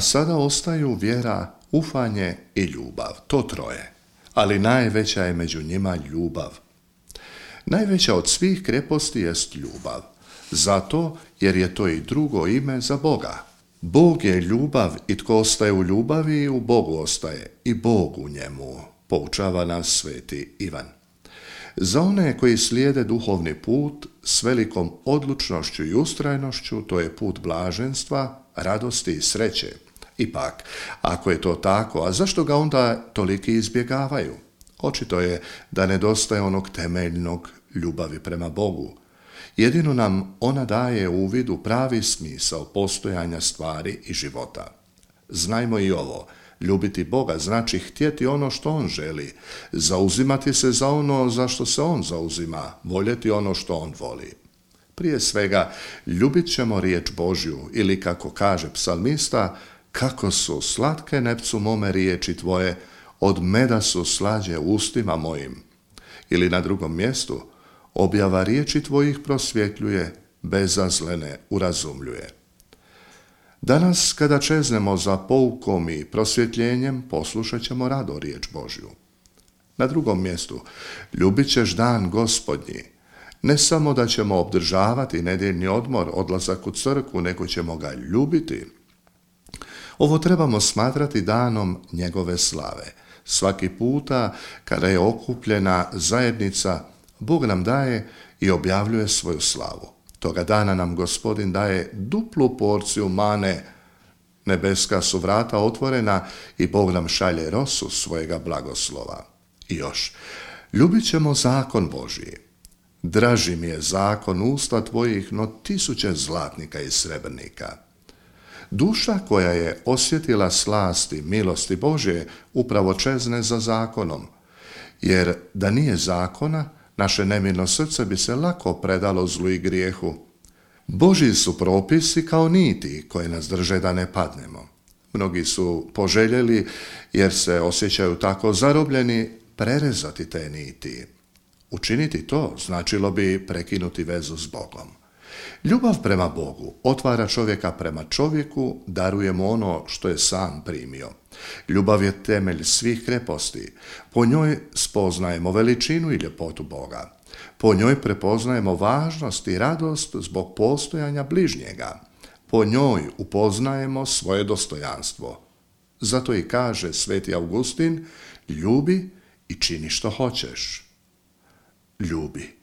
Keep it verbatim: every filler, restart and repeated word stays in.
A sada ostaju vjera, ufanje i ljubav, to troje. Ali najveća je među njima ljubav. Najveća od svih kreposti jest ljubav. Zato jer je to i drugo ime za Boga. Bog je ljubav i tko ostaje u ljubavi u Bogu ostaje i Bog u njemu, poučava nas sveti Ivan. Za one koji slijede duhovni put s velikom odlučnošću i ustrajnošću, to je put blaženstva, radosti i sreće. Ipak, ako je to tako, a zašto ga onda toliki izbjegavaju? Očito je da nedostaje onog temeljnog ljubavi prema Bogu. Jedino nam ona daje uvid u pravi smisao postojanja stvari i života. Znajmo i ovo, ljubiti Boga znači htjeti ono što On želi, zauzimati se za ono za što se On zauzima, voljeti ono što On voli. Prije svega, ljubit ćemo riječ Božju ili kako kaže psalmista, kako su slatke nepcu mome riječi tvoje, od meda su slađe ustima mojim. Ili na drugom mjestu, objava riječi tvojih prosvjetljuje, bezazlene urazumljuje. Danas, kada čeznemo za poukom i prosvjetljenjem, poslušat ćemo rado riječ Božju. Na drugom mjestu, ljubit ćeš dan Gospodnji. Ne samo da ćemo obdržavati nedjeljni odmor, odlazak u crkvu, nego ćemo ga ljubiti. Ovo trebamo smatrati danom njegove slave. Svaki puta kada je okupljena zajednica, Bog nam daje i objavljuje svoju slavu. Toga dana nam Gospodin daje duplu porciju mane. Nebeska su vrata otvorena i Bog nam šalje rosu svojega blagoslova. I još, ljubit ćemo zakon Božji. Draži mi je zakon usta tvojih, no tisuće zlatnika i srebrnika. Duša koja je osjetila slasti milosti Božje upravo čezne za zakonom, jer da nije zakona, naše nemirno srce bi se lako predalo zlu i grijehu. Božji su propisi kao niti koje nas drže da ne padnemo. Mnogi su poželjeli, jer se osjećaju tako zarobljeni, prerezati te niti. Učiniti to značilo bi prekinuti vezu s Bogom. Ljubav prema Bogu otvara čovjeka prema čovjeku, daruje mu ono što je sam primio. Ljubav je temelj svih kreposti. Po njoj spoznajemo veličinu i ljepotu Boga. Po njoj prepoznajemo važnost i radost zbog postojanja bližnjega. Po njoj upoznajemo svoje dostojanstvo. Zato i kaže sveti Augustin, ljubi i čini što hoćeš. Ljubi.